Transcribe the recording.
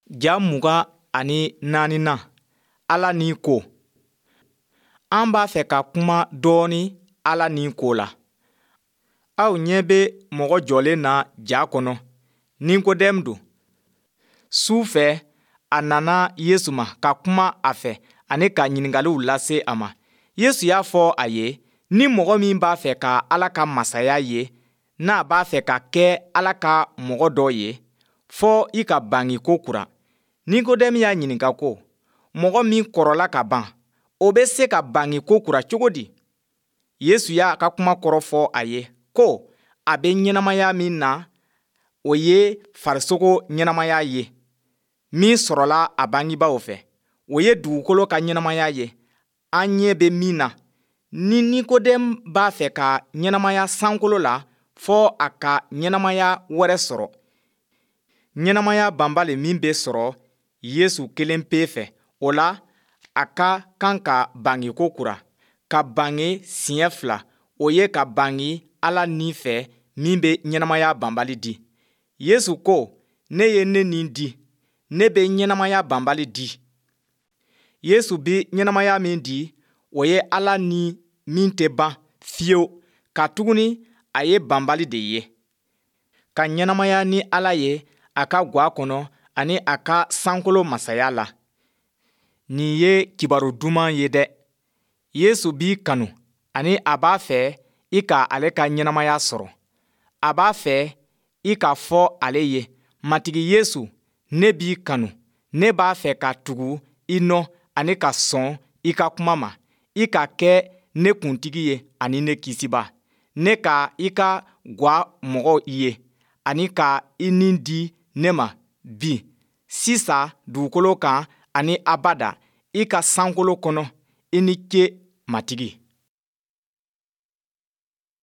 Ja 24nan, Ala ni ko. An b'a fɛ ka kuma dɔɔnin Ala ni ko la. Aw ɲɛ bɛ mɔgɔ jɔlen na ja kɔnɔ, Nikodɛmu don. Su fɛ, a nana Yesu ma ka kuma a fɛ ani ka ɲininkaliw lase a ma. Yesu y'a fɔ a ye, ni mɔgɔ min b'a fɛ ka Ala ka masaya ye, n'a b'a fɛ ka kɛ Ala ka mɔgɔ dɔ ye, fɔ i ka bange ko kura. Nikodɛmu y'a ɲininka ko, mɔgɔ min kɔrɔla ka ban, o bɛ se ka bange ko kura cogo di? Yesu y'a ka kuma kɔrɔ fɔ a ye ko a bɛ ɲɛnamaya min na, o ye farisogo ɲɛnamaya ye min sɔrɔla a bangebaaw fɛ. O ye dugukolo ka ɲɛnamaya ye, an ɲɛ bɛ min na. Ni Nikodɛmu b'a fɛ ka ɲɛnamaya sankolo la, fɔ a ka ɲɛnamaya wɛrɛ sɔrɔ. Ɲɛnamaya banbali min bɛ sɔrɔ Yesu kelen pe fɛ, o la a ka kan ka bange ko kura, ka bange siɲɛ fila, o ye ka bange Ala ni fɛ min bɛ ɲɛnamaya banbali di. Yesu ko, ne ye ne ni di, ne bɛ ɲɛnamaya banbali di. Yesu bɛ ɲɛnamaya min di, o ye Ala ni min tɛ ban fiyewu, katuguni a ye banbali de ye. Ka ɲɛnamaya ni Ala ye a ka gwa kɔnɔ ani a ka sankolo masaya la. Nin ye kibaru duman ye dɛ. Yesu b'i kanu ani a b'a fɛ i ka ale ka ɲɛnamaya sɔrɔ. A b'a fɛ i k'a fɔ ale ye, Matigi Yesu, ne b'i kanu, ne b'a fɛ ka tugu i nɔ ani ka sɔn i ka kuma ma, i ka kɛ ne kuntigi ye ani ne kisiba. Ne ka i ka gwa mɔgɔ ye ani ka i ni di ne ma bi, sisan dugukolo kan ani abada i ka sankolo kɔnɔ. I ni ce, Matigi.